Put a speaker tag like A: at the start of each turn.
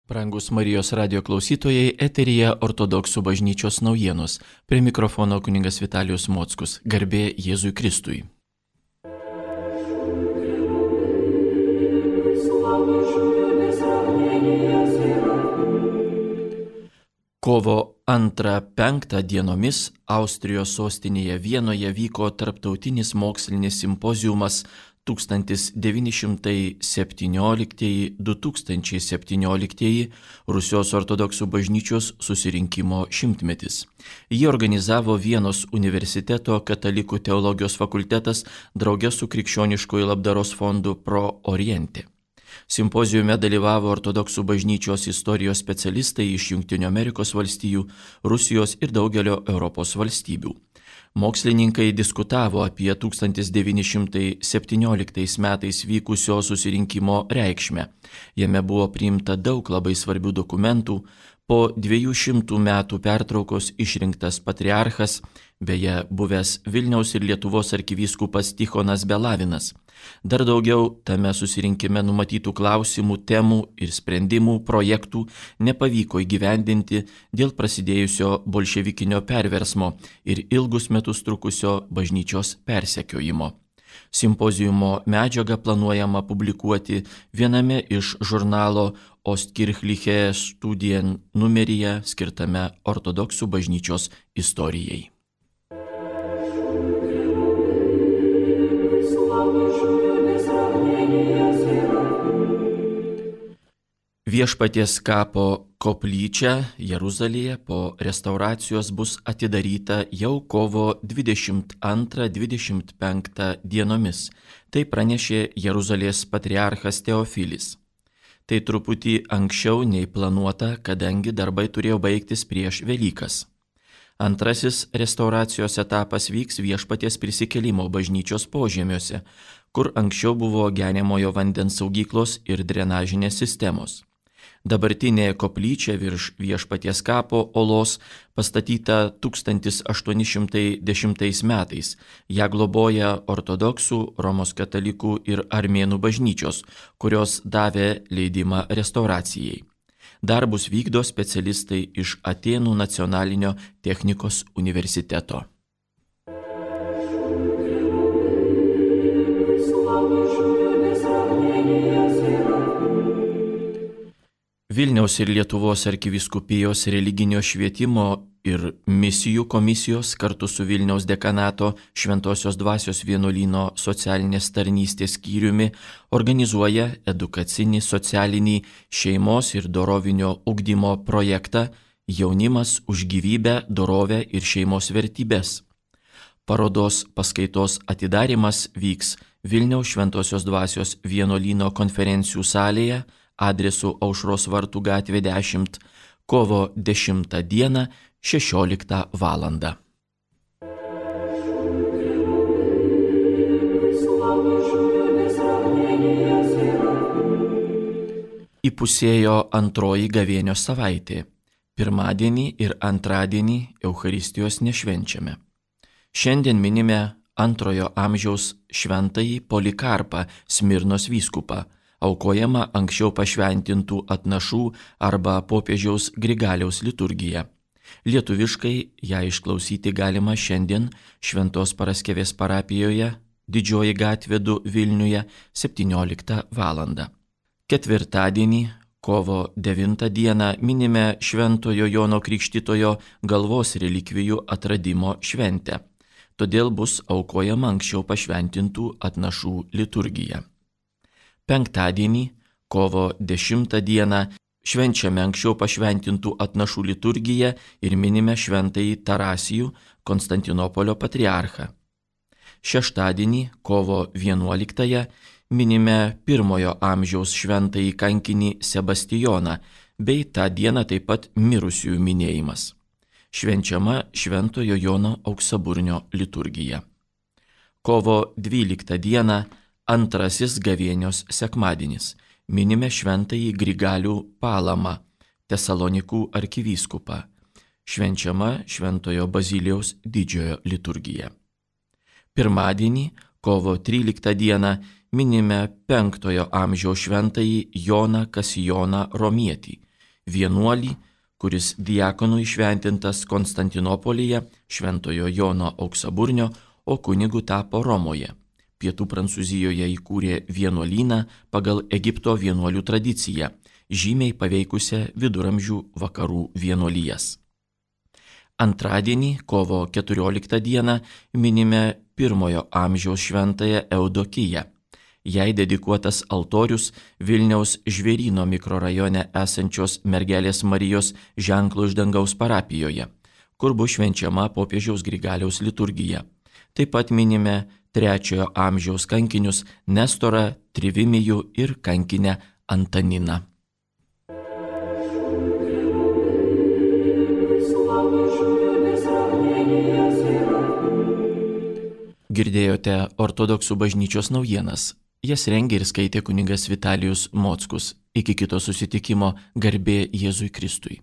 A: Brangus Marijos radio klausytojai, eteryje Ortodoksų bažnyčios naujienos. Prie mikrofono kunigas Vitalijus Mockus. Garbė Jėzui Kristui. Kovo 2-5 dienomis Austrijos sostinėje Vienoje vyko tarptautinis mokslinis simpoziumas 1917-2017 Rusijos ortodoksų bažnyčios susirinkimo šimtmetis. Jį organizavo Vienos universiteto katalikų teologijos fakultetas drauge su Krikščioniškojo labdaros fondu Pro Oriente. Simpozijume dalyvavo ortodoksų bažnyčios istorijos specialistai iš Jungtinių Amerikos valstijų, Rusijos ir daugelio Europos valstybių. Mokslininkai diskutavo apie 1917 metais vykusio susirinkimo reikšmę. Jame buvo priimta daug labai svarbių dokumentų. Po 200 metų pertraukos išrinktas patriarchas, beje, buvęs Vilniaus ir Lietuvos arkivyskupas Tichonas Belavinas. Dar daugiau tame susirinkime numatytų klausimų, temų ir sprendimų projektų nepavyko įgyvendinti dėl prasidėjusio bolševikinio perversmo ir ilgus metus trukusio bažnyčios persekiojimo. Simpoziumo medžiagą planuojama publikuoti viename iš žurnalo Ostkirchliche Studien numeryje skirtame ortodoksų bažnyčios istorijai. Viešpaties kapo koplyčia Jeruzalėje po restauracijos bus atidaryta jau kovo 22-25 dienomis. Tai pranešė Jeruzalės patriarchas Teofilis. Tai truputį anksčiau nei planuota, kadangi darbai turėjo baigtis prieš Velykas. Antrasis restauracijos etapas vyks Viešpaties prisikėlimo bažnyčios požemiuose, kur anksčiau buvo geriamojo vandens saugyklos ir drenažinės sistemos. Dabartinė koplyčia virš Viešpaties kapo olos pastatyta 1810 metais. Ja globoja ortodoksų, Romos katalikų ir armėnų bažnyčios, kurios davė leidimą restauracijai. Darbus vykdo specialistai iš Atėnų nacionalinio technikos universiteto. Vilniaus ir Lietuvos arkivyskupijos religinio švietimo ir misijų komisijos kartu su Vilniaus dekanato Šventosios dvasios vienuolyno socialinės tarnystės skyriumi organizuoja edukacinį socialinį šeimos ir dorovinio ugdymo projektą Jaunimas už gyvybę, dorovę ir šeimos vertybės. Parodos paskaitos atidarymas vyks Vilniaus Šventosios dvasios vienuolyno konferencijų salėje adresu Aušros vartų gatvė 10, kovo 10 dieną 16 valandą. Įpusėjo antroji gavėnios savaitė. Pirmadienį ir antradienį Eucharistijos nešvenčiame. Šiandien minime antrojo amžiaus šventąjį Polikarpą, Smirnos vyskupą, aukojama anksčiau pašventintų atnašų arba popiežiaus Grigaliaus liturgija. Lietuviškai ją išklausyti galima šiandien Šventos Paraskevės parapijoje, Didžioji gatvė 2 Vilniuje 17 valandą. Ketvirtadienį, kovo 9 dieną minime Šventojo Jono Krikštytojo galvos relikvijų atradimo šventę. Todėl bus aukojama anksčiau pašventintų atnašų liturgija. Penktadienį, kovo 10 dieną, švenčiame anksčiau pašventintų atnašų liturgiją ir minime šventąjį Tarasijų, Konstantinopolio patriarchą. Šeštadienį, kovo 11, minime 1 amžiaus šventąjį kankinį Sebastijoną, bei tą dieną taip pat mirusiųjų minėjimas. Švenčiama Šventojo Jono auksaburnio liturgija. Kovo 12 dieną, antrasis gavėnios sekmadienis, minime šventąjį Grigalių Palamą, Tesalonikų arkivyskupą. Švenčiama Šventojo Bazilijaus didžiojo liturgija. Pirmadienį, kovo 13 dieną, minime 5 amžiaus šventąjį Joną Kasijoną Romietį, vienuolį, kuris diakonu įšventintas Konstantinopolyje, Šventojo Jono Auksaburnio, o kunigu tapo Romoje. Pietų Prancūzijoje įkūrė vienuolyną pagal Egipto vienuolių tradiciją, žymiai paveikusią viduramžių vakarų vienuolijas. Antradienį, kovo 14 dieną, minime 1 amžiaus šventąją Eudokiją. Jai dedikuotas altorius Vilniaus Žvėryno mikrorajone esančios Mergelės Marijos ženklo iš dangaus parapijoje, kur bus švenčiama popiežiaus Grigaliaus liturgija. Taip pat minime 3 amžiaus kankinius Nestorą, Trivimijų ir kankinę Antaniną. Girdėjote ortodoksų bažnyčios naujienas. Jas rengė ir skaitė kunigas Vitalijus Mockus. Iki kito susitikimo, garbė Jėzui Kristui.